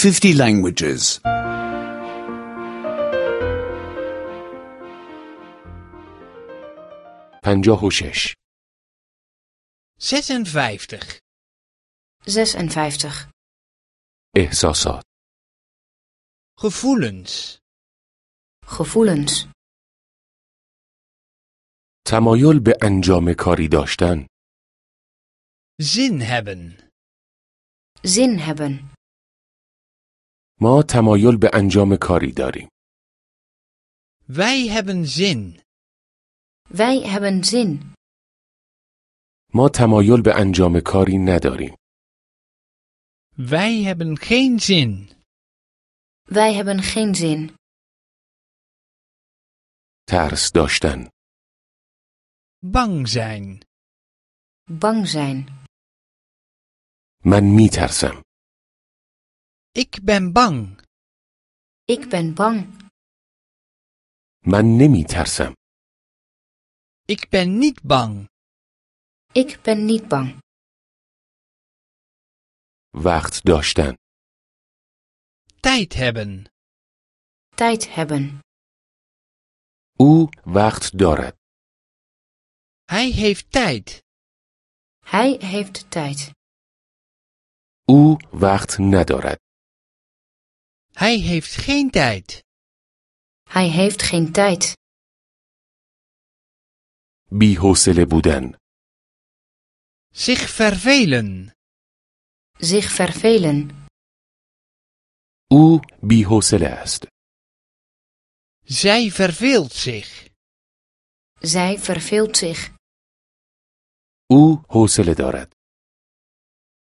50 languages. 56 56. 56. احساسات Gevoelens. Gevoelens. تمایل به انجام کاری داشتن Zin hebben. Zin hebben. ما تمایل به انجام کاری داریم Wij hebben zin. Wij hebben zin. ما تمایل به انجام کاری نداریم Wij hebben geen zin. Wij hebben geen zin. ترس داشتن Bang zijn. Bang zijn. من میترسم Ik ben bang. Ik ben bang. من نمیترسم Ik ben niet bang. Ik ben niet bang. وقت داشتن Tijd hebben. Tijd hebben. او وقت دارد Hij heeft tijd. Hij heeft tijd. او وقت ندارد Hij heeft geen tijd. Hij heeft geen tijd. بی‌حوصله بودن Zich vervelen. Zich vervelen. او بی‌حوصله است Zij verveelt zich. Zij verveelt zich. او حوصله دارد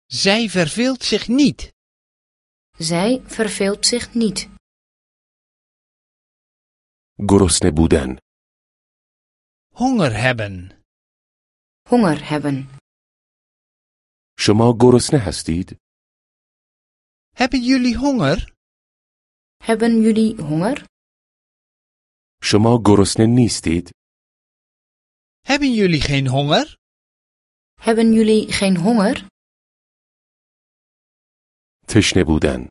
Zij verveelt zich niet. Zij verveelt zich niet. گرسنه بودن Honger hebben. Honger hebben. شما گرسنه هستید؟ Hebben jullie honger? Hebben jullie honger? شما گرسنه نیستید؟ Hebben jullie geen honger? Hebben jullie geen honger? تشنه بودن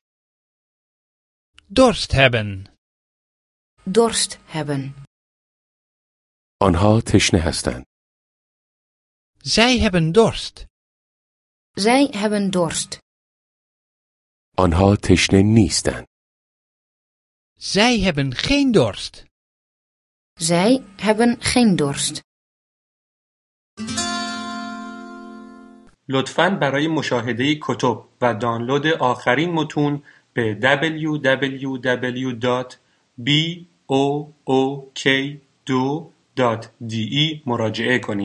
Dorst hebben. Dorst hebben. آنها تشنه هستند Zij hebben dorst. Zij hebben dorst. آنها تشنه نیستند Zij hebben geen dorst. Zij hebben geen dorst. لطفاً برای مشاهده کتب و دانلود آخرین متون به www.book2.de مراجعه کنید.